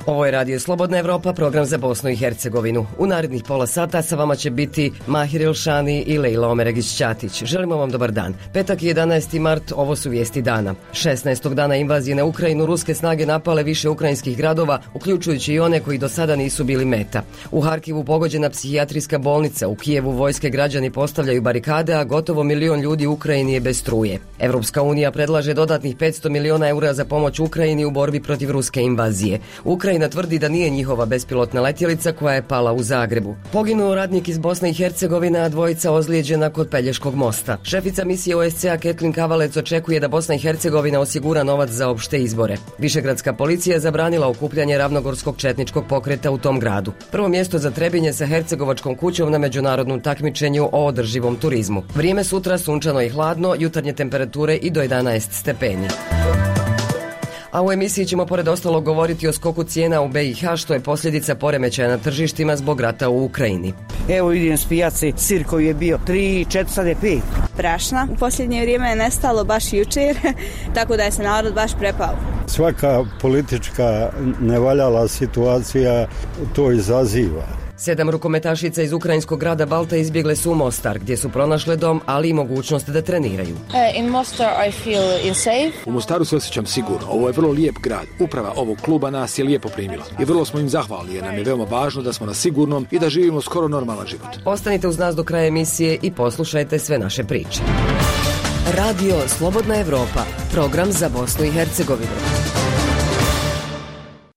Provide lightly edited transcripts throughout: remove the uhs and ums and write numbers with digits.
Ovo je Radio Slobodna Evropa, program za Bosnu i Hercegovinu. U narednih pola sata sa vama će biti Mahir Ilšani i Lejla Omeregić-Ćatić. Želimo vam dobar dan. Petak 11. mart, ovo su vijesti dana. 16. dana invazije na Ukrajinu ruske snage napale više ukrajinskih gradova, uključujući i one koji do sada nisu bili meta. U Harkivu pogođena psihijatrijska bolnica, u Kijevu vojske građani postavljaju barikade, a gotovo 1 milion ljudi u Ukrajini je bez struje. Evropska unija predlaže dodatnih 500 miliona eura za pomoć Ukrajini u borbi protiv ruske invazije. Ukrajina tvrdi da nije njihova bespilotna letjelica koja je pala u Zagrebu. Poginuo radnik iz Bosne i Hercegovine, a dvojica ozlijeđena kod Pelješkog mosta. Šefica misije OSCE Ketlin Kavalec očekuje da Bosna i Hercegovina osigura novac za opšte izbore. Višegradska policija zabranila okupljanje ravnogorskog četničkog pokreta u tom gradu. Prvo mjesto za Trebinje sa Hercegovačkom kućom na međunarodnom takmičenju o održivom turizmu. Vrijeme sutra sunčano i hladno, jutarnje temperature i do 11 stepeni. A u emisiji ćemo pored ostalog govoriti o skoku cijena u BiH, što je posljedica poremećaja na tržištima zbog rata u Ukrajini. Evo idem s pijace, sir koji je bio 3, 4, sad je 5. Brašna u posljednje vrijeme je nestalo baš jučer, tako da je se narod baš prepao. Svaka politička nevaljala situacija to izaziva. 7 rukometašica iz ukrajinskog grada Balta izbjegle su u Mostar, gdje su pronašle dom, ali i mogućnost da treniraju. In Mostar I feel safe. U Mostaru se osjećam sigurno. Ovo je vrlo lijep grad. Uprava ovog kluba nas je lijepo primila. I vrlo smo im zahvalni jer nam je veoma važno da smo na sigurnom i da živimo skoro normalan život. Ostanite uz nas do kraja emisije i poslušajte sve naše priče. Radio Slobodna Evropa, program za Bosnu i Hercegovinu.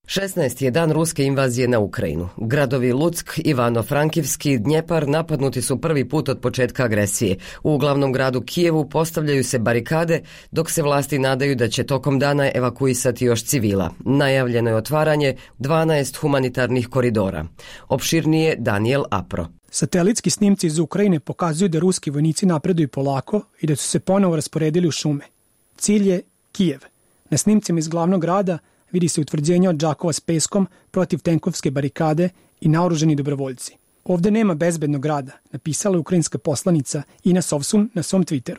16. je dan ruske invazije na Ukrajinu. Gradovi Luck, Ivano-Frankivski, Dnjepar napadnuti su prvi put od početka agresije. U glavnom gradu Kijevu postavljaju se barikade, dok se vlasti nadaju da će tokom dana evakuisati još civila. Najavljeno je otvaranje 12 humanitarnih koridora. Opširnije Daniel Apro. Satelitski snimci iz Ukrajine pokazuju da ruski vojnici napreduju polako i da su se ponovo rasporedili u šume. Cilj je Kijev. Na snimcima iz glavnog grada vidi se utvrđenje od džakova s peskom, protiv tenkovske barikade i naoruženi dobrovoljci. Ovdje nema bezbednog grada, napisala je ukrajinska poslanica Ina Sovsun na svom Twitteru.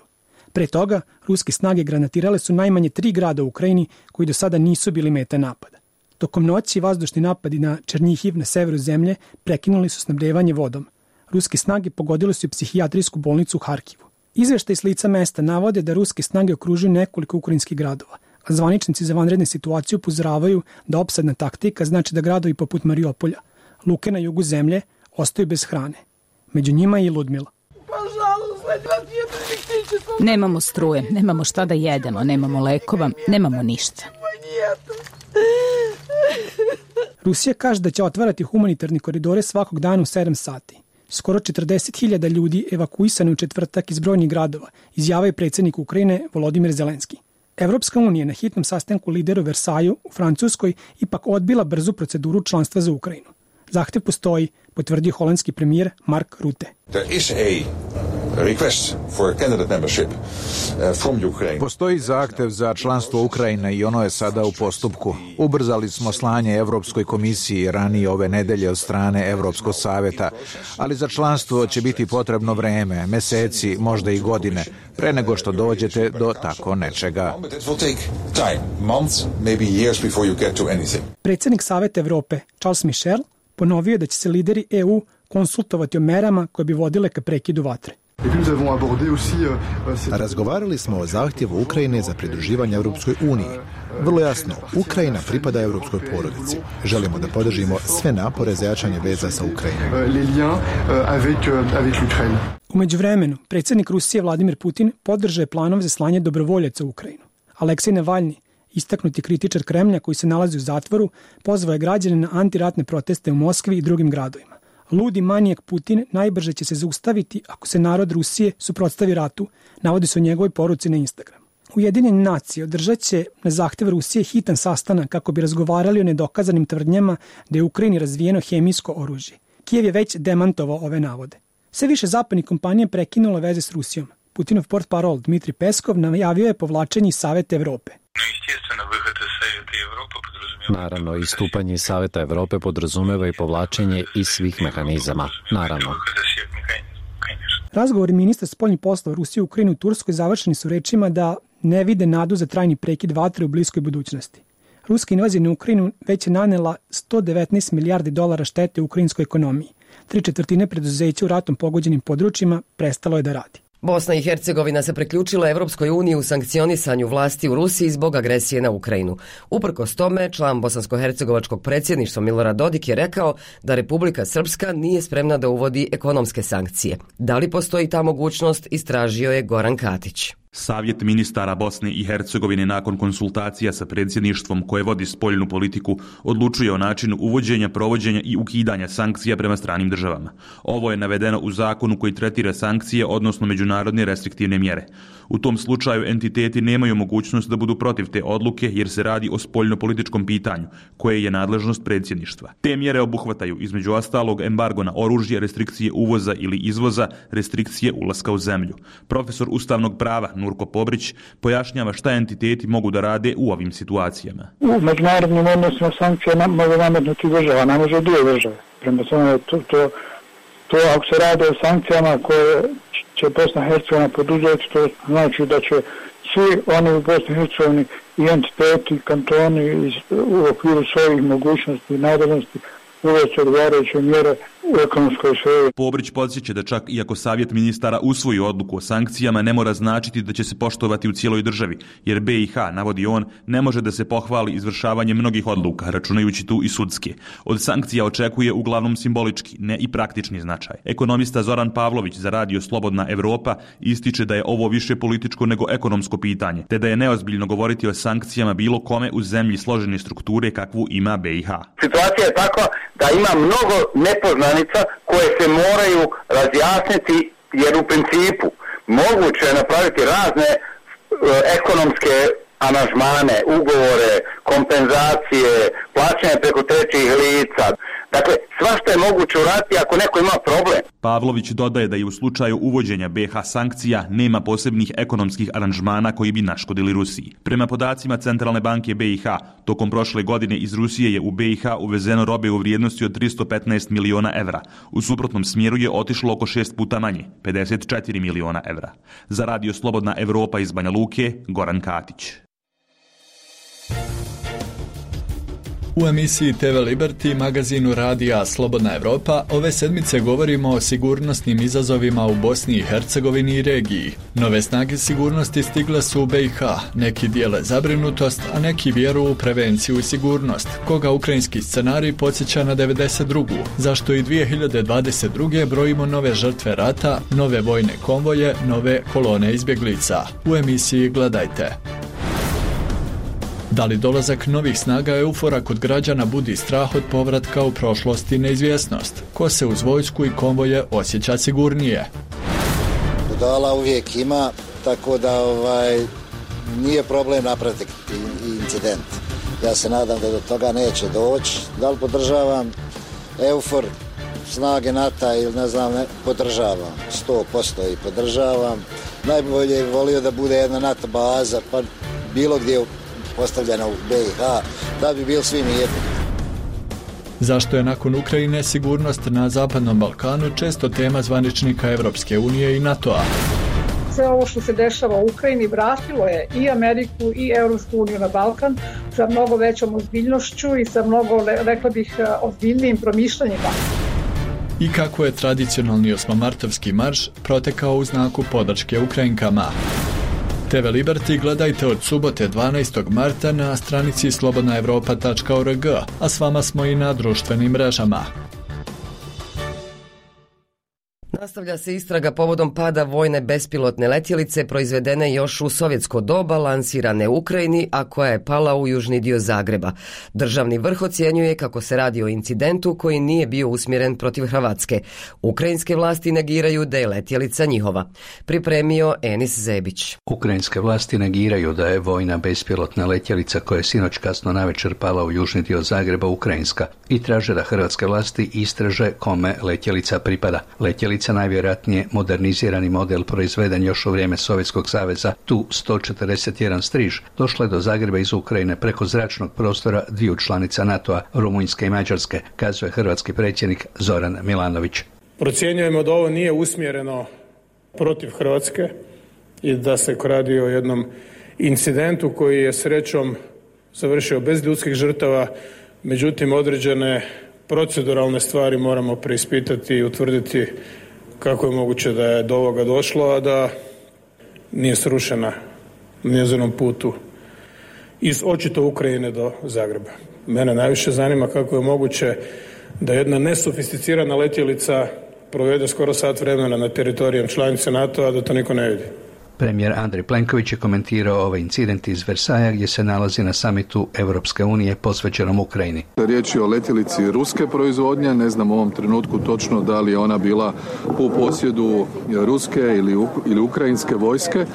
Pre toga, ruske snage granatirale su najmanje 3 grada u Ukrajini koji do sada nisu bili meta napada. Tokom noći vazdušni napadi na Černjihiv na severu zemlje prekinuli su snabdevanje vodom. Ruske snage pogodile su i psihijatrijsku bolnicu u Harkivu. Izveštaj s lica mesta navode da ruske snage okružuju nekoliko ukrajinskih gradova, a zvaničnici za vanredne situacije upozoravaju da opsadna taktika znači da gradovi poput Mariupolja, luke na jugu zemlje, ostaju bez hrane. Među njima je i Ludmila. Nemamo struje, nemamo šta da jedemo, nemamo lekova, nemamo ništa. Rusija kaže da će otvarati humanitarne koridore svakog dana u 7 sati. Skoro 40.000 ljudi evakuisano u četvrtak iz brojnih gradova, izjavio je predsjednik Ukrajine Volodimir Zelenski. Evropska unija na hitnom sastanku lidera u Versaju u Francuskoj ipak odbila brzu proceduru članstva za Ukrajinu. Zahtjev postoji, potvrdio holandski premijer Mark Rutte. Postoji zahtjev za članstvo Ukrajine i ono je sada u postupku. Ubrzali smo slanje Evropskoj komisiji ranije ove nedelje od strane Evropskog savjeta, ali za članstvo će biti potrebno vreme, mjeseci, možda i godine, pre nego što dođete do tako nečega. Predsjednik Savjeta Evrope, Charles Michel, ponovio da će se lideri EU konsultovati o merama koje bi vodile ka prekidu vatre. Razgovarali smo o zahtjevu Ukrajine za pridruživanje Europskoj uniji. Vrlo jasno, Ukrajina pripada europskoj porodici. Želimo da podržimo sve napore za jačanje veza sa Ukrajinom. U međuvremenu, predsjednik Rusije Vladimir Putin podržao je planove za slanje dobrovoljaca u Ukrajinu. Aleksej Navalni, istaknuti kritičar Kremlja koji se nalazi u zatvoru, pozvao je građane na antiratne proteste u Moskvi i drugim gradovima. Ludi manijak Putin najbrže će se zaustaviti ako se narod Rusije suprotstavi ratu, navodi se u njegovoj poruci na Instagram. Ujedinjene nacije održat će na zahtjev Rusije hitan sastanak kako bi razgovarali o nedokazanim tvrdnjama da je u Ukrajini razvijeno hemijsko oružje. Kijev je već demantovao ove navode. Sve više zapadnih kompanija prekinula veze s Rusijom. Putinov portparol Dmitrij Peskov najavio je povlačenje iz Savjeta Evrope. Naravno, istupanje iz Savjeta Evrope podrazumeva i povlačenje iz svih mehanizama. Naravno. Razgovori ministra spoljnih poslova Rusije, Ukrajine i Turskoj završeni su rečima da ne vide nadu za trajni prekid vatre u bliskoj budućnosti. Ruska invazija na Ukrajinu već je nanela $119 milijardi štete u ukrajinskoj ekonomiji. 3/4 preduzeća u ratom pogođenim područjima prestalo je da radi. Bosna i Hercegovina se priključila Evropskoj uniji u sankcionisanju vlasti u Rusiji zbog agresije na Ukrajinu. Uprkos tome, član bosansko-hercegovačkog predsjedništva Milorad Dodik je rekao da Republika Srpska nije spremna da uvodi ekonomske sankcije. Da li postoji ta mogućnost, istražio je Goran Katić. Savjet ministara Bosne i Hercegovine nakon konsultacija sa predsjedništvom koje vodi spoljnu politiku odlučuje o načinu uvođenja, provođenja i ukidanja sankcija prema stranim državama. Ovo je navedeno u zakonu koji tretira sankcije, odnosno međunarodne restriktivne mjere. U tom slučaju entiteti nemaju mogućnost da budu protiv te odluke jer se radi o spoljno-političkom pitanju koje je nadležnost predsjedništva. Te mjere obuhvataju između ostalog embargo na oružje, restrikcije uvoza ili izvoza, restrikcije ulaska u zemlju. Profesor ustavnog prava Nurko Pobrić pojašnjava šta entiteti mogu da rade u ovim situacijama. U međunarodnim odnosima sankcije može nametnuti država, ne može dvije države. Prema tome to ako se radi o sankcijama koje će Bosna i Hercegovina poduzeti, to znači da će svi oni u Bosni i Hercegovini i entiteti, kantoni u okviru svojih mogućnosti i nadležnosti uvesti odgovarajuće mjere u ekonomskoj sferi. Pobrić podsjeća da čak i ako Savjet ministara usvoji odluku o sankcijama, ne mora značiti da će se poštovati u cijeloj državi, jer BiH, navodi on, ne može da se pohvali izvršavanje mnogih odluka, računajući tu i sudske. Od sankcija očekuje uglavnom simbolički, ne i praktični značaj. Ekonomista Zoran Pavlović za radio Slobodna Evropa ističe da je ovo više političko nego ekonomsko pitanje, te da je neozbiljno govoriti o sankcijama bilo kome u zemlji složene strukture kakvu ima BiH. Situacija je takva da ima mnogo nepoznanica koje se moraju razjasniti, jer u principu moguće je napraviti razne ekonomske aranžmane, ugovore, kompenzacije, plaćanje preko trećih lica. Dakle, svašta je moguće uraditi ako neko ima problem. Pavlović dodaje da i u slučaju uvođenja BiH sankcija nema posebnih ekonomskih aranžmana koji bi naškodili Rusiji. Prema podacima Centralne banke BiH, tokom prošle godine iz Rusije je u BiH uvezeno robe u vrijednosti od 315 miliona evra. U suprotnom smjeru je otišlo oko 6 puta manje, 54 miliona evra. Za radio Slobodna Evropa iz Banja Luke, Goran Katić. U emisiji TV Liberty, magazinu radija Slobodna Evropa, ove sedmice govorimo o sigurnosnim izazovima u Bosni i Hercegovini i regiji. Nove snage sigurnosti stigle su u BiH, neki dijele zabrinutost, a neki vjeru u prevenciju i sigurnost, koga ukrajinski scenarij podsjeća na 92. Zašto i 2022. brojimo nove žrtve rata, nove vojne konvoje, nove kolone izbjeglica. U emisiji gledajte. Da li dolazak novih snaga EUFOR-a kod građana budi strah od povratka u prošlost i neizvjesnost? Ko se uz vojsku i konvoje osjeća sigurnije? Budala uvijek ima, tako da nije problem napraviti incident. Ja se nadam da do toga neće doći. Da li podržavam EUFOR, snage NATO ili podržavam, 100% i podržavam. Najbolje je volio da bude jedna NATO baza, pa bilo gdje postavljena u BiH, da bi bili svi mirni. Zašto je nakon Ukrajine sigurnost na Zapadnom Balkanu često tema zvaničnika Evropske unije i NATO-a? Sve ovo što se dešava u Ukrajini vratilo je i Ameriku i Evropsku uniju na Balkan sa mnogo većom ozbiljnošću i sa mnogo, rekla bih, ozbiljnijim promišljanjima. I kako je tradicionalni osmomartovski marš protekao u znaku podrške Ukrajinkama? TV Liberty gledajte od subote 12. marta na stranici slobodnaevropa.org, a s vama smo i na društvenim mrežama. Nastavlja se istraga povodom pada vojne bespilotne letjelice proizvedene još u sovjetsko doba, lansirane u Ukrajini, a koja je pala u južni dio Zagreba. Državni vrh ocjenjuje kako se radi o incidentu koji nije bio usmjeren protiv Hrvatske. Ukrajinske vlasti negiraju da je letjelica njihova. Pripremio Enis Zebić. Ukrajinske vlasti negiraju da je vojna bespilotna letjelica koja je sinoć kasno navečer pala u južni dio Zagreba ukrajinska i traže da hrvatske vlasti istraže kome letjelica pripada. Letjelica najvjerojatnije modernizirani model proizveden još u vrijeme Sovjetskog saveza, Tu-141 Striž, došla je do Zagreba iz Ukrajine preko zračnog prostora dviju članica NATO-a, Rumunjske i Mađarske, kazuje hrvatski predsjednik Zoran Milanović. Procjenjujemo da ovo nije usmjereno protiv Hrvatske i da se radi o jednom incidentu koji je srećom završio bez ljudskih žrtava, međutim određene proceduralne stvari moramo preispitati i utvrditi kako je moguće da je do ovoga došlo, a da nije srušena na njezinom putu iz očito Ukrajine do Zagreba. Mene najviše zanima kako je moguće da jedna nesofisticirana letjelica provede skoro sat vremena na teritorijem članice NATO-a, da to niko ne vidi. Premijer Andrej Plenković je komentirao ovaj incident iz Versaja gdje se nalazi na samitu Europske unije posvećenom Ukrajini. Riječ je o letjelici ruske proizvodnje, ne znam u ovom trenutku točno da li je ona bila u posjedu ruske ili ukrajinske vojske.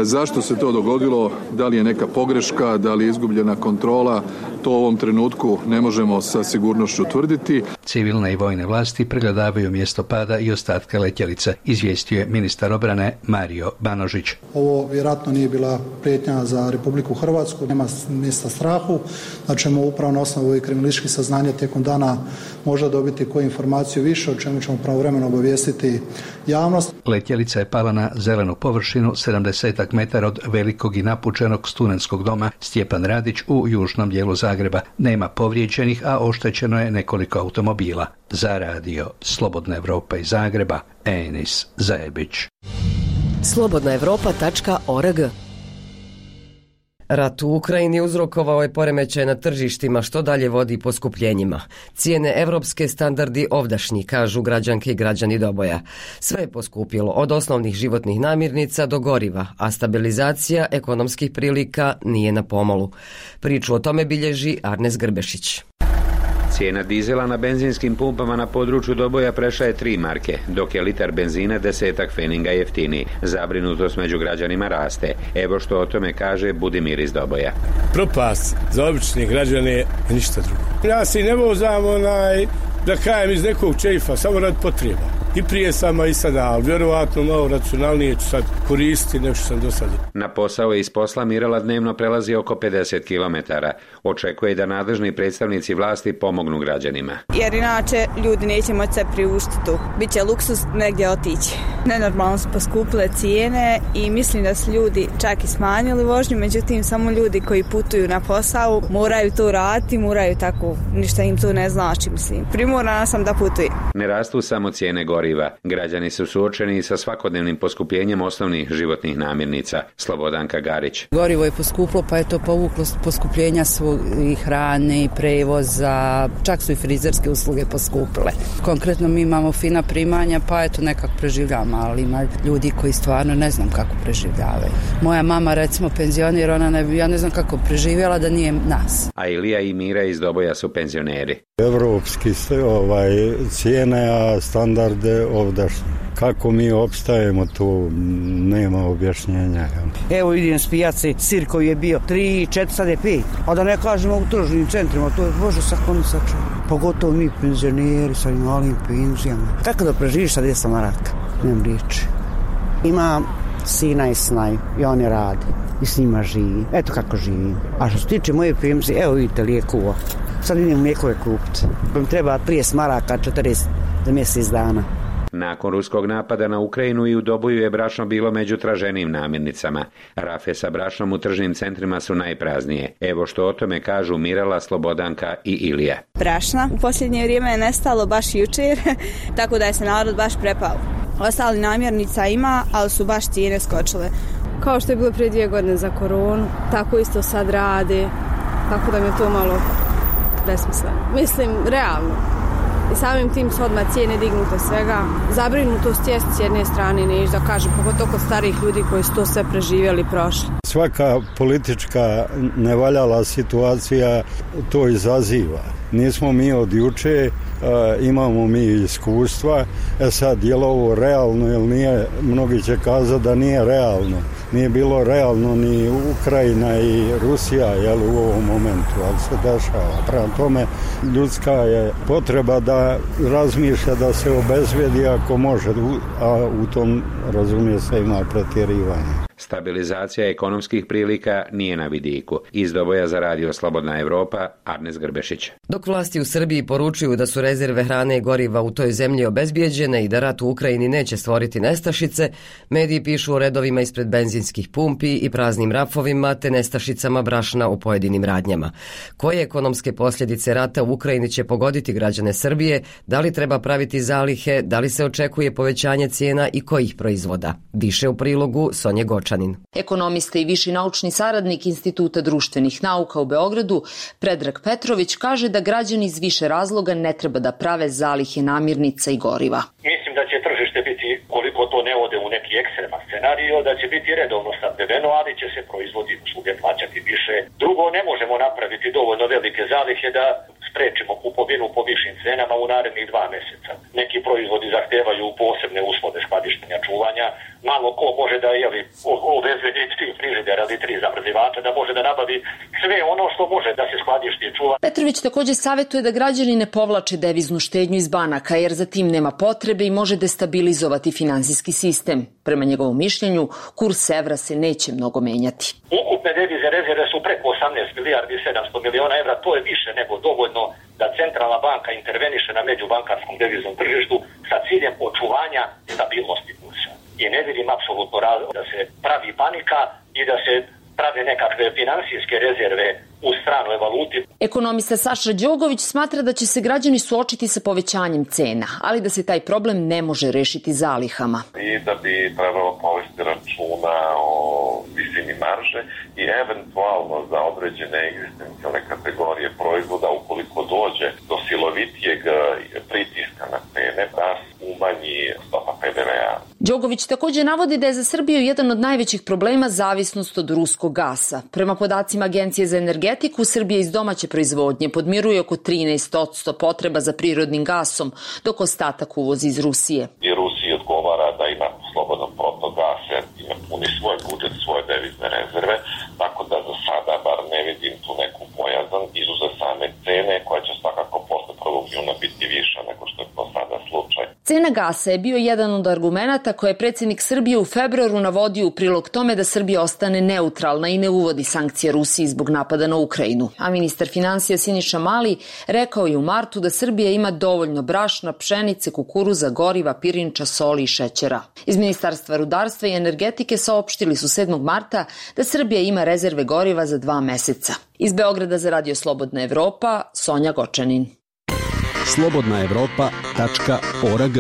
Zašto se to dogodilo, da li je neka pogreška, da li je izgubljena kontrola, to u ovom trenutku ne možemo sa sigurnošću tvrditi. Civilne i vojne vlasti pregledavaju mjesto pada i ostatke letjelice, izvijestio je ministar obrane Mario Banožić. Ovo vjerojatno nije bila prijetnja za Republiku Hrvatsku, nema mjesta strahu, da ćemo upravo na osnovu kriminalističkih saznanja tijekom dana možda dobiti koju informaciju više, o čemu ćemo pravovremeno obavijestiti javnost. Letjelica je pala na zelenu površinu 70 metara od velikog i napučenog studentskog doma Stjepan Radić u južnom dijelu Zagreba. Nema povrijeđenih, a oštećeno je nekoliko automobila. Za radio Slobodna Evropa iz Zagreba, Enis Zajebić. Slobodnaevropa.org. Rat u Ukrajini uzrokovao je poremećaj na tržištima, što dalje vodi poskupljenjima. Cijene evropske standardi ovdašnji, kažu građanke i građani Doboja. Sve je poskupilo, od osnovnih životnih namirnica do goriva, a stabilizacija ekonomskih prilika nije na pomolu. Priču o tome bilježi Arnes Grbešić. Cijena dizela na benzinskim pumpama na području Doboja prešla je 3 marke, dok je litar benzina 10 feninga jeftiniji. Zabrinutost među građanima raste. Evo što o tome kaže Budimir iz Doboja. Propast za obične građane, ništa drugo. Ja se i ne vozam da kajem iz nekog čeifa, samo rad potreba. I prije sama i sada, ali vjerovatno malo racionalnije ću sad koristiti nego što sam do sada. Na posao i iz posla Mirala dnevno prelazi oko 50 km. Očekuje da nadležni predstavnici vlasti pomognu građanima. Jer inače ljudi neće moći se priuštiti tu. Biće luksuz negdje otići. Nenormalno su poskupile cijene i mislim da su ljudi čak i smanjili vožnju, međutim samo ljudi koji putuju na posao moraju to raditi, moraju tako, ništa im to ne znači, mislim. Primorana sam da putujem. Ne rastu samo cijene goriva. Građani su suočeni sa svakodnevnim poskupljenjem osnovnih životnih namirnica. Slobodanka Garić. Gorivo je poskuplo, pa je to povuklo poskupljenja i hrane i prevoza, čak su i frizerske usluge poskupile. Konkretno mi imamo fina primanja, pa eto nekako preživljamo, ali ima ljudi koji stvarno ne znam kako preživljavaju. Moja mama, recimo penzioner, ja ne znam kako preživjela da nije nas. A Ilija i Mira iz Doboja su penzioneri. Evropski cijene, a standarde ovdašnje. Kako mi opstajemo, tu nema objašnjenja. Evo vidim s pijace, sir koji je bio 3, 4, sad je 5. A da ne kažemo u tržnim centrima, to je Bože sakonosača. Pogotovo mi penzioneri sa malim penzijama. Kako da preživiš sa 200 maraka? Nemam riječi. Imam sina i snaju i on je radi i s njima živi. Eto kako živim. A što se tiče moje penzije, evo vidite lijekova. Sad idem lijekove kupiti. Pa mi treba 30 maraka, 40 za mjesec dana. Nakon ruskog napada na Ukrajinu i u Doboju je brašno bilo među traženijim namirnicama. Rafe sa brašnom u tržnim centrima su najpraznije. Evo što o tome kažu Mirala, Slobodanka i Ilija. Brašna u posljednje vrijeme je nestalo baš jučer, tako da je se narod baš prepao. Ostali namirnica ima, ali su baš cijene skočile. Kao što je bilo prije 2 godine za koronu, tako isto sad rade, tako da mi je to malo besmisleno. Mislim, realno. I samim tim su odmah cijene dignute svega. Zabrinutost jest s jedne strane, neću da kažem, pogotovo kod starijih ljudi koji su to sve preživjeli i prošli. Svaka politička nevaljala situacija to izaziva. Nismo mi od juče, imamo mi iskustva. Sad, je li ovo realno ili nije? Mnogi će kazati da nije realno. Nije bilo realno ni Ukrajina i Rusija u ovom momentu, ali se dešava. Prema tome, ljudska je potreba da razmišlja da se obezvrijedi ako može, a u tom, razumije se, ima pretjerivanje. Stabilizacija ekonomskih prilika nije na vidiku. Iz Doboja za radio Slobodna Evropa, Arnes Grbešić. Dok vlasti u Srbiji poručuju da su rezerve hrane i goriva u toj zemlji obezbijeđene i da rat u Ukrajini neće stvoriti nestašice, mediji pišu o redovima ispred benzinskih pumpi i praznim rafovima te nestašicama brašna u pojedinim radnjama. Koje ekonomske posljedice rata u Ukrajini će pogoditi građane Srbije, da li treba praviti zalihe, da li se očekuje povećanje cijena i kojih proizvoda? Više u prilogu Sonje Gočanin. Ekonomista i viši naučni saradnik Instituta društvenih nauka u Beogradu, Predrag Petrović, kaže da građani iz više razloga ne treba da prave zalihe namirnica i goriva. Mislim da će tržište biti, koliko to ne ode u neki ekstreman scenario, da će biti redovno snabdeveno, ali će se proizvodi usluge plaćati više. Drugo, ne možemo napraviti dovoljno velike zalihe da sprečimo kupovinu po višim cenama u narednih 2 mjeseca. Neki proizvodi zahtevaju posebne uslove skladištenja, čuvanja. Malo ko može da uvezve 3 frižidera ili 3 zamrzivača, da može da nabavi sve ono što može da se skladišti i čuva. Petrović također savjetuje da građani ne povlače deviznu štednju iz banaka, jer za tim nema potrebe i može destabilizovati finansijski sistem. Prema njegovom mišljenju, kurs evra se neće mnogo menjati. Ukupne devize rezerve su preko 18 milijardi 700 miliona evra, to je više nego dovoljno da centralna banka interveniše na međubankarskom deviznom tržištu sa ciljem očuvanja stabilnosti kursa. I ne vidim apsolutno razlog da se pravi panika i da se prave nekakve finansijske rezerve u stranoj valuti. Ekonomista Saša Đogović smatra da će se građani suočiti sa povećanjem cena, ali da se taj problem ne može rešiti zalihama. I da bi trebalo povesti računa o visini marže i eventualno za određene egzistencijalne kategorije proizvoda, ukoliko dođe do silovitijeg pritiska na cene, da umanji stopa PDV-a. Đogović također navodi da je za Srbiju jedan od najvećih problema zavisnost od ruskog gasa. Prema podacima Agencije za energetiku, Srbija iz domaće proizvodnje podmiruje oko 13% potreba za prirodnim gasom, dok ostatak uvozi iz Rusije. I Rusiji odgovara da ima slobodan protok gasa, ima puni svoj budžet, svoje devizne rezerve, tako da za sada bar ne vidim tu neku bojazan izuzev same cene, koja će svakako posle 1. juna biti viša nego što je to sada slučaj. Cena gasa je bio jedan od argumenata koje je predsjednik Srbije u februaru navodio u prilog tome da Srbija ostane neutralna i ne uvodi sankcije Rusiji zbog napada na Ukrajinu. A ministar financija Siniša Mali rekao je u martu da Srbija ima dovoljno brašna, pšenice, kukuruza, goriva, pirinča, soli i šećera. Iz Ministarstva rudarstva i energetike saopštili su 7. marta da Srbija ima rezerve goriva za 2 meseca. Iz Beograda za radio Slobodna Evropa, Sonja Gočanin. slobodnaevropa.org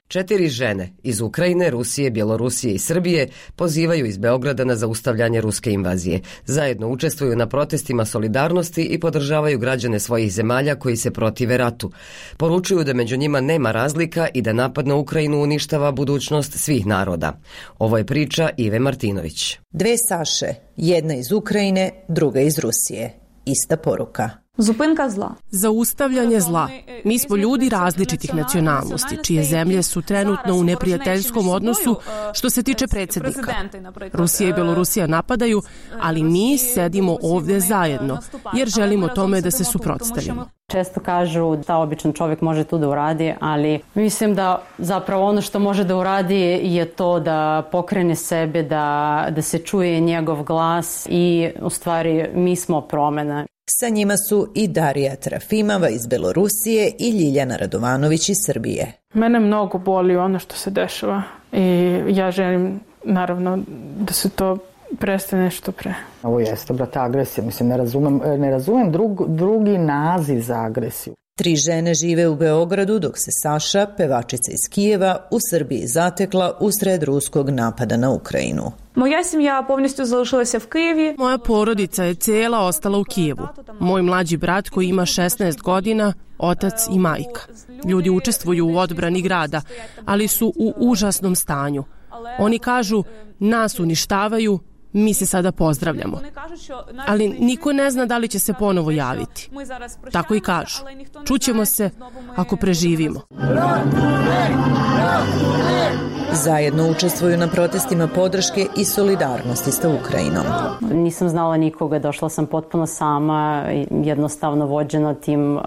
4 žene iz Ukrajine, Rusije, Bjelorusije i Srbije pozivaju iz Beograda na zaustavljanje ruske invazije. Zajedno učestvuju na protestima solidarnosti i podržavaju građane svojih zemalja koji se protive ratu. Poručuju da među njima nema razlika i da napad na Ukrajinu uništava budućnost svih naroda. Ovo je priča Ive Martinović. 2 Saše, jedna iz Ukrajine, druga iz Rusije. Ista poruka. Zaustavljanje zla. Mi smo ljudi različitih nacionalnosti, čije zemlje su trenutno u neprijateljskom odnosu što se tiče predsjednika. Rusija i Bjelorusija napadaju, ali mi sedimo ovdje zajedno, jer želimo tome da se suprotstavimo. Često kažu da običan čovjek može tu da uradi, ali mislim da zapravo ono što može da uradi je to da pokrene sebe, da se čuje njegov glas i u stvari mi smo promjena. Sa njima su i Darija Trafimova iz Belorusije i Ljiljana Radovanović iz Srbije. Mene mnogo boli ono što se dešava i ja želim naravno da se to prestane što pre. Ovo jeste, brate, agresija. Mislim, ne razumem drugi naziv za agresiju. 3 žene žive u Beogradu, dok se Saša, pevačica iz Kijeva, u Srbiji zatekla usred ruskog napada na Ukrajinu. Moja semja повністю залишилася в Києві. Moja porodica je cijela ostala u Kijevu. Moj mlađi brat koji ima 16 godina, otac i majka. Ljudi učestvuju u odbrani grada, ali su u užasnom stanju. Oni kažu, nas uništavaju, mi se sada pozdravljamo. Ali niko ne zna da li će se ponovo javiti. Tako i kažu. Čućemo se ako preživimo. Zajedno učestvuju na protestima podrške i solidarnosti sa Ukrajinom. Nisam znala nikoga, došla sam potpuno sama, jednostavno vođena tim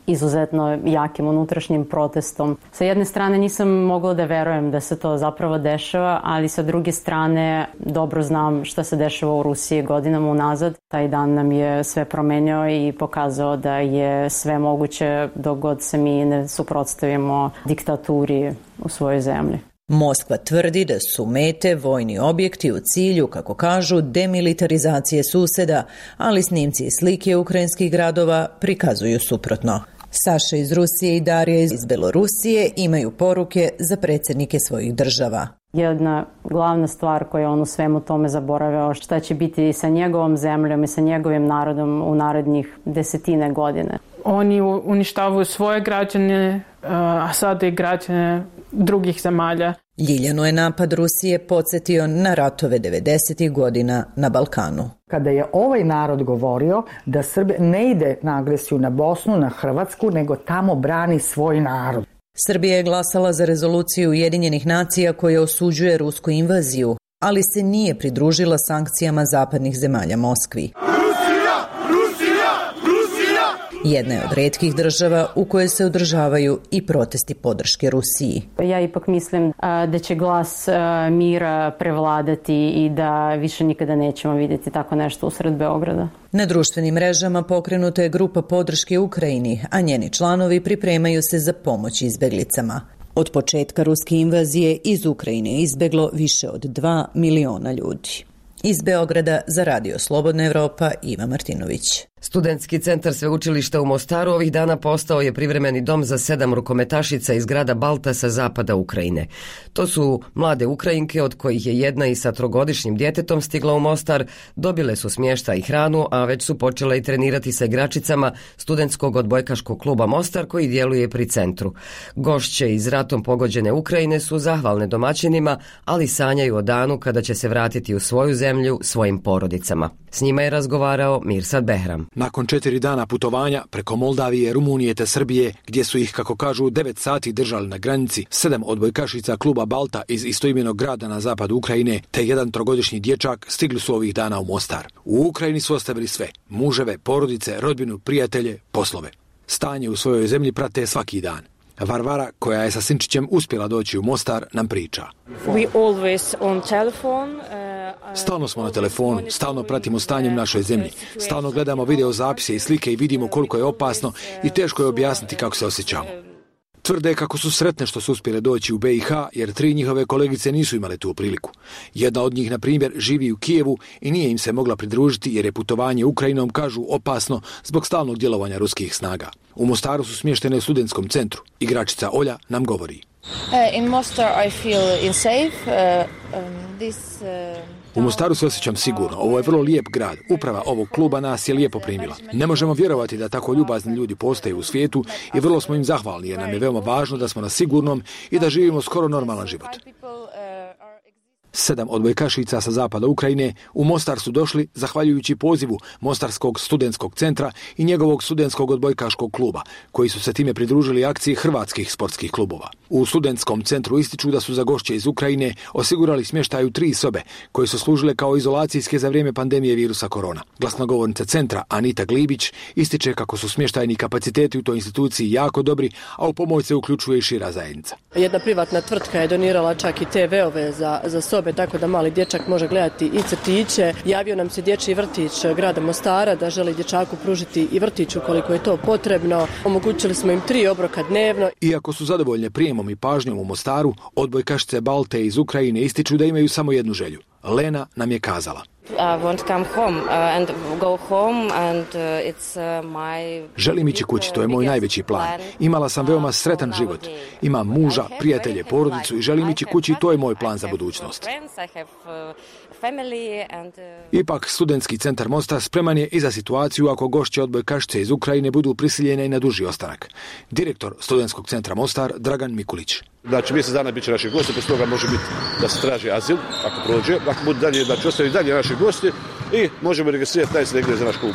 izuzetno jakim unutrašnjim protestom. Sa jedne strane nisam mogla da verujem da se to zapravo dešava, ali sa druge strane dobro znam šta se dešava u Rusiji godinama unazad. Taj dan nam je sve promenio i pokazao da je sve moguće dok god se mi ne suprotstavimo diktaturi u svojoj zemlji. Moskva tvrdi da su mete vojni objekti u cilju, kako kažu, demilitarizacije suseda, ali snimci i slike ukrajinskih gradova prikazuju suprotno. Saša iz Rusije i Darija iz Belorusije imaju poruke za predsjednike svojih država. Jedna glavna stvar koju on u svemu tome zaboravio, šta će biti sa njegovom zemljom i sa njegovim narodom u narednih desetine godine. Oni uništavaju svoje građane, a sada i građane drugih zemalja. Ljiljanu je napad Rusije podsjetio na ratove 90. godina na Balkanu. Kada je ovaj narod govorio da Srbija ne ide na agresiju na Bosnu, na Hrvatsku, nego tamo brani svoj narod. Srbija je glasala za rezoluciju Ujedinjenih nacija koja osuđuje rusku invaziju, ali se nije pridružila sankcijama zapadnih zemalja Moskvi. Jedna je od retkih država u kojoj se održavaju i protesti podrške Rusiji. Ja ipak mislim da će glas mira prevladati i da više nikada nećemo vidjeti tako nešto usred Beograda. Na društvenim mrežama pokrenuta je grupa podrške Ukrajini, a njeni članovi pripremaju se za pomoć izbjeglicama. Od početka ruske invazije iz Ukrajine je izbjeglo više od 2 miliona ljudi. Iz Beograda za Radio Slobodna Evropa, Iva Martinović. Studentski centar sveučilišta u Mostaru ovih dana postao je privremeni dom za 7 rukometašica iz grada Balta sa zapada Ukrajine. To su mlade Ukrajinke, od kojih je jedna i sa 3-godišnjim djetetom stigla u Mostar, dobile su smještaj i hranu, a već su počele i trenirati sa igračicama studentskog odbojkaškog kluba Mostar koji djeluje pri centru. Gošće iz ratom pogođene Ukrajine su zahvalne domaćinima, ali sanjaju o danu kada će se vratiti u svoju zemlju svojim porodicama. S njima je razgovarao Mirsad Behram. Nakon 4 dana putovanja preko Moldavije, Rumunije te Srbije, gdje su ih, kako kažu, 9 sati držali na granici, 7 odbojkašica kluba Balta iz istoimenog grada na zapadu Ukrajine te 1 3-godišnji dječak stigli su ovih dana u Mostar. U Ukrajini su ostavili sve: muževe, porodice, rodbinu, prijatelje, poslove. Stanje u svojoj zemlji prate svaki dan. Varvara, koja je sa sinčićem uspjela doći u Mostar, nam priča. Stalno smo na telefonu, stalno pratimo stanje u našoj zemlji, stalno gledamo video zapise i slike i vidimo koliko je opasno i teško je objasniti kako se osjećamo. Tvrde kako su sretne što su uspjele doći u BiH, jer 3 njihove kolegice nisu imale tu priliku. Jedna od njih, na primjer, živi u Kijevu i nije im se mogla pridružiti jer je putovanje Ukrajinom, kažu, opasno zbog stalnog djelovanja ruskih snaga. U Mostaru su smještene u studentskom centru. Igračica Olja nam govori. U Mostaru se osjećam sigurno. Ovo je vrlo lijep grad. Uprava ovog kluba nas je lijepo primila. Ne možemo vjerovati da tako ljubazni ljudi postoje u svijetu i vrlo smo im zahvalni jer nam je veoma važno da smo na sigurnom i da živimo skoro normalan život. 7 odbojkašica sa zapada Ukrajine u Mostar su došli zahvaljujući pozivu Mostarskog studentskog centra i njegovog studentskog odbojkaškog kluba, koji su se time pridružili akciji hrvatskih sportskih klubova. U studentskom centru ističu da su za gošće iz Ukrajine osigurali smještaj u 3 sobe, koje su služile kao izolacijske za vrijeme pandemije virusa korona. Glasnogovornica centra Anita Glibić ističe kako su smještajni kapaciteti u toj instituciji jako dobri, a u pomoć se uključuje i šira zajednica. Jedna privatna tvrtka je donirala čak i TV-ove za sobe, tako da mali dječak može gledati i crtiće. Javio nam se dječji vrtić grada Mostara da želi dječaku pružiti i vrtić ukoliko je to potrebno. Omogućili smo im 3 obroka dnevno. Iako su zadovoljne prijemom i pažnjom u Mostaru, odbojkašice Balte iz Ukrajine ističu da imaju samo jednu želju. Lena nam je kazala. Želim ići kući, to je moj najveći plan. Imala sam veoma sretan život. Imam muža, prijatelje, porodicu i želim ići kući i to je moj plan za budućnost. Ipak, studentski centar Mostar spreman je i za situaciju ako gošće odbojkašice iz Ukrajine budu prisiljene i na duži ostanak. Direktor studentskog centra Mostar, Dragan Mikulić. Znači, mjesec dana bit će naši gosti, poslije toga može biti da se traži azil, ako prođe, ako bude dalje, znači ostaju dalje naši gosti i možemo registrirati taj se negdje za naš klub.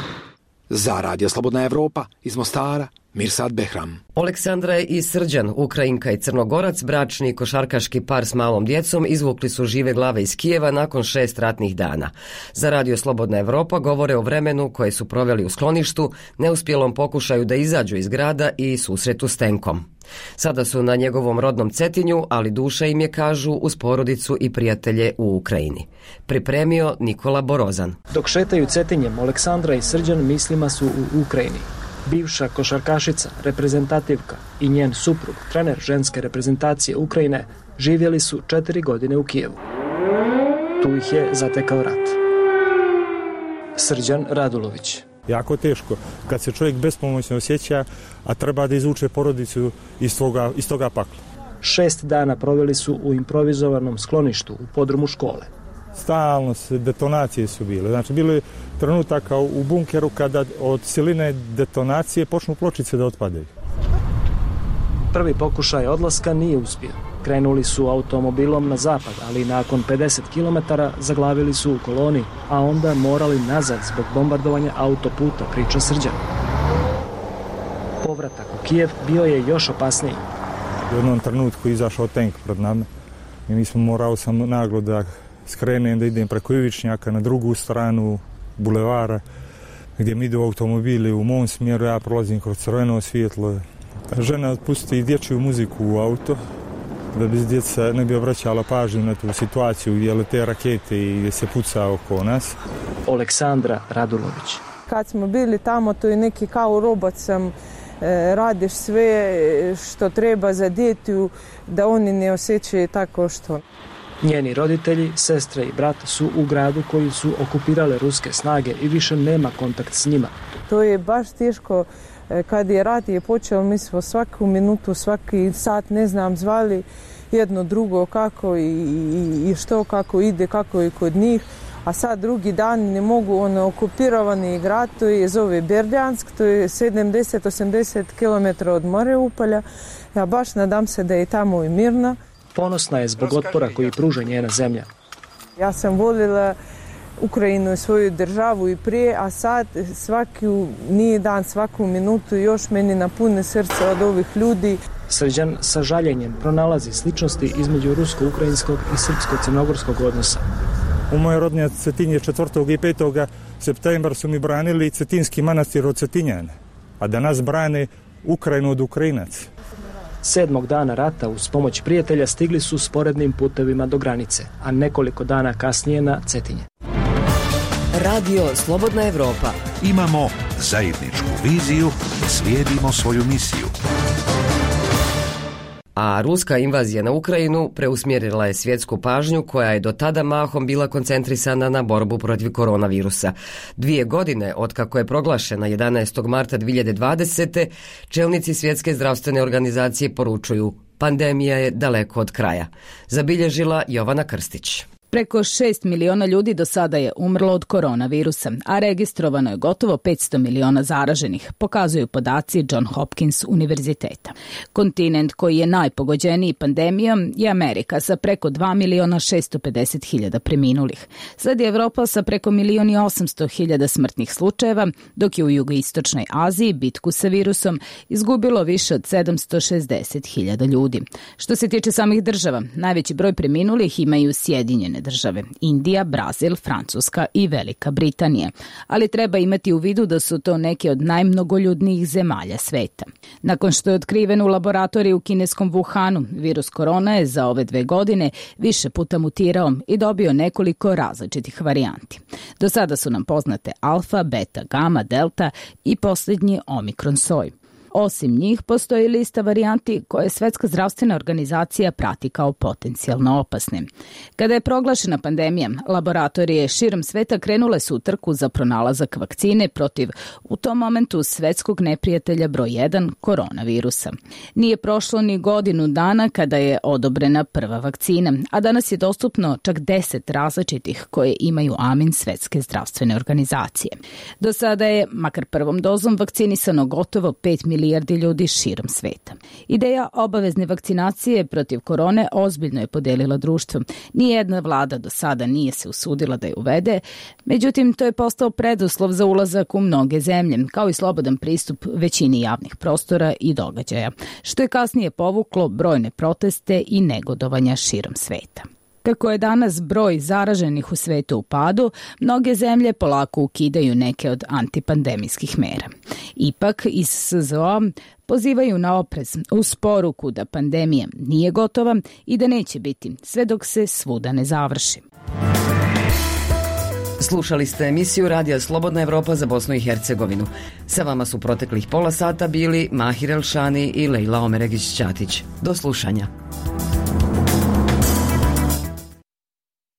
Za Radio Slobodna Evropa iz Mostara, Mirsad Behram. Aleksandra i Srđan, Ukrajinka i Crnogorac, bračni košarkaški par s malom djecom, izvukli su žive glave iz Kijeva nakon 6 ratnih dana. Za Radio Slobodna Evropa govore o vremenu koje su proveli u skloništu, neuspjelom pokušaju da izađu iz grada i susretu s tenkom. Sada su na njegovom rodnom Cetinju, ali duša im je, kažu, uz porodicu i prijatelje u Ukrajini. Pripremio Nikola Borozan. Dok šetaju Cetinjem, Aleksandra i Srđan mislima su u Ukrajini. Bivša košarkašica, reprezentativka i njen suprug, trener ženske reprezentacije Ukrajine, živjeli su 4 godine u Kijevu. Tu ih je zatekao rat. Srđan Radulović. Jako teško kad se čovjek bespomoćno osjeća, a treba da izvuče porodicu iz toga pakla. 6 dana proveli su u improvizovanom skloništu u podrumu škole. Stalno detonacije su bile. Znači, bilo je trenutaka u bunkeru kada od siline detonacije počnu pločice da otpadaju. Prvi pokušaj odlaska nije uspio. Krenuli su automobilom na zapad, ali nakon 50 km zaglavili su u koloni, a onda morali nazad zbog bombardovanja autoputa, priča Srđan. Povratak u Kijev bio je još opasniji. U jednom trenutku izašao tank pred nama i mi smo morali sam naglo da skrenem, da idem preko Ivičnjaka na drugu stranu bulevara gdje mi idu automobili u mom smjeru, ja prolazim kroz crveno svjetlo. Žena pusti dječju muziku u auto da bi djeca ne bi obraćala pažnju na tu situaciju gdje lete rakete i gdje se puca oko nas. Aleksandra Radulović. Kad smo bili tamo, to je neki kao robot sam, radiš sve što treba za djetu da oni ne osjećaju tako što. Njeni roditelji, sestre i brat su u gradu koji su okupirale ruske snage i više nema kontakt s njima. To je baš teško. Kad je rat je počeo, mi smo svaku minutu, svaki sat, ne znam, zvali jedno drugo kako i što, kako ide, kako je kod njih. A sad drugi dan ne mogu, okupirovani grad, to je zove Berdjansk, to je 70-80 km od Mariupolja. Ja baš nadam se da je tamo i mirno. Ponosna je zbog otpora koji pruža njena zemlja. Ja sam voljela Ukrajinu, svoju državu i prije, a sad svaki nije dan, svaku minutu još meni napune srce od ovih ljudi. Srđan sa žaljenjem pronalazi sličnosti između rusko-ukrajinskog i srpsko-crnogorskog odnosa. U mojoj rodnje Cetinje 4. i 5. septembra su mi branili Cetinski manastir od Cetinjana, a danas brane Ukrajinu od Ukrajinaca. 7. dana rata uz pomoć prijatelja stigli su sporednim putevima do granice, a nekoliko dana kasnije na Cetinje. Radio Slobodna Evropa. Imamo zajedničku viziju, slijedimo svoju misiju. A ruska invazija na Ukrajinu preusmjerila je svjetsku pažnju koja je do tada mahom bila koncentrisana na borbu protiv koronavirusa. 2 godine otkako je proglašena 11. marta 2020. čelnici Svjetske zdravstvene organizacije poručuju: pandemija je daleko od kraja. Zabilježila Jovana Krstić. Preko 6 miliona ljudi do sada je umrlo od koronavirusa, a registrovano je gotovo 500 miliona zaraženih, pokazuju podaci John Hopkins univerziteta. Kontinent koji je najpogođeniji pandemijom je Amerika sa preko 2.650.000 preminulih. Sledi Evropa sa preko 1.800.000 smrtnih slučajeva, dok je u jugoistočnoj Aziji bitku sa virusom izgubilo više od 760.000 ljudi. Što se tiče samih država, najveći broj preminulih imaju Sjedinjene države, Indija, Brazil, Francuska i Velika Britanija. Ali treba imati u vidu da su to neke od najmnogoljudnijih zemalja sveta. Nakon što je otkriven u laboratoriju u kineskom Wuhanu, virus korona je za ove 2 godine više puta mutirao i dobio nekoliko različitih varijanti. Do sada su nam poznate alfa, beta, gama, delta i posljednji omikron soj. Osim njih, postoji lista varijanti koje Svjetska zdravstvena organizacija prati kao potencijalno opasne. Kada je proglašena pandemija, laboratorije širom sveta krenule su u trku za pronalazak vakcine protiv, u tom momentu, svjetskog neprijatelja broj 1, koronavirusa. Nije prošlo ni godinu dana kada je odobrena prva vakcina, a danas je dostupno čak 10 različitih koje imaju amin Svjetske zdravstvene organizacije. Do sada je, makar prvom dozom, vakcinisano gotovo 5 milijardi ljudi širom sveta. Ideja obavezne vakcinacije protiv korone ozbiljno je podelila društvo. Nijedna vlada do sada nije se usudila da je uvede, međutim to je postao preduslov za ulazak u mnoge zemlje, kao i slobodan pristup većini javnih prostora i događaja, što je kasnije povuklo brojne proteste i negodovanja širom sveta. Kako je danas broj zaraženih u svetu u padu, mnoge zemlje polako ukidaju neke od antipandemijskih mera. Ipak, iz SZO pozivaju na oprez uz poruku da pandemija nije gotova i da neće biti sve dok se svuda ne završi. Slušali ste emisiju Radija Slobodna Evropa za Bosnu i Hercegovinu. Sa vama su proteklih pola sata bili Mahir Elšani i Lejla Omeregić-Ćatić. Do slušanja.